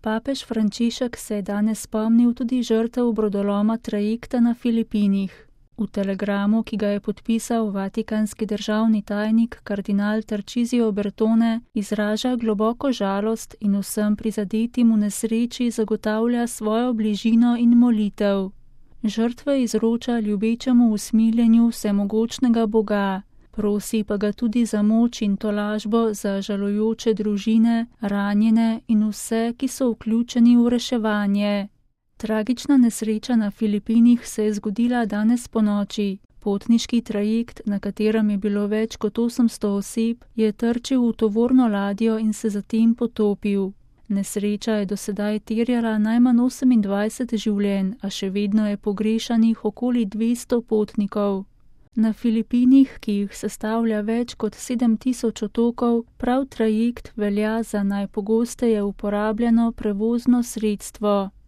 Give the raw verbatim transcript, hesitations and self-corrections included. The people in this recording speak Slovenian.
Papež Frančišek se je danes spomnil tudi žrtev brodoloma trajekta na Filipinih. V telegramu, ki ga je podpisal vatikanski državni tajnik kardinal Tarcisio Bertone, izraža globoko žalost in vsem prizadetim v nesreči zagotavlja svojo bližino in molitev. Žrtve izroča ljubečemu usmiljenju vsemogočnega Boga, prosi pa ga tudi za moč in tolažbo za žalujoče družine, ranjene in vse, ki so vključeni v reševanje. Tragična nesreča na Filipinih se je zgodila danes ponoči. Potniški trajekt, na katerem je bilo več kot osemsto oseb, je trčil v tovorno ladjo in se zatem potopil. Nesreča je do sedaj terjala najmanj osemindvajset življenj, a še vedno je pogrešanih okoli dvesto potnikov. Na Filipinih, ki jih sestavlja več kot sedem tisoč otokov, prav trajekt velja za najpogosteje uporabljeno prevozno sredstvo.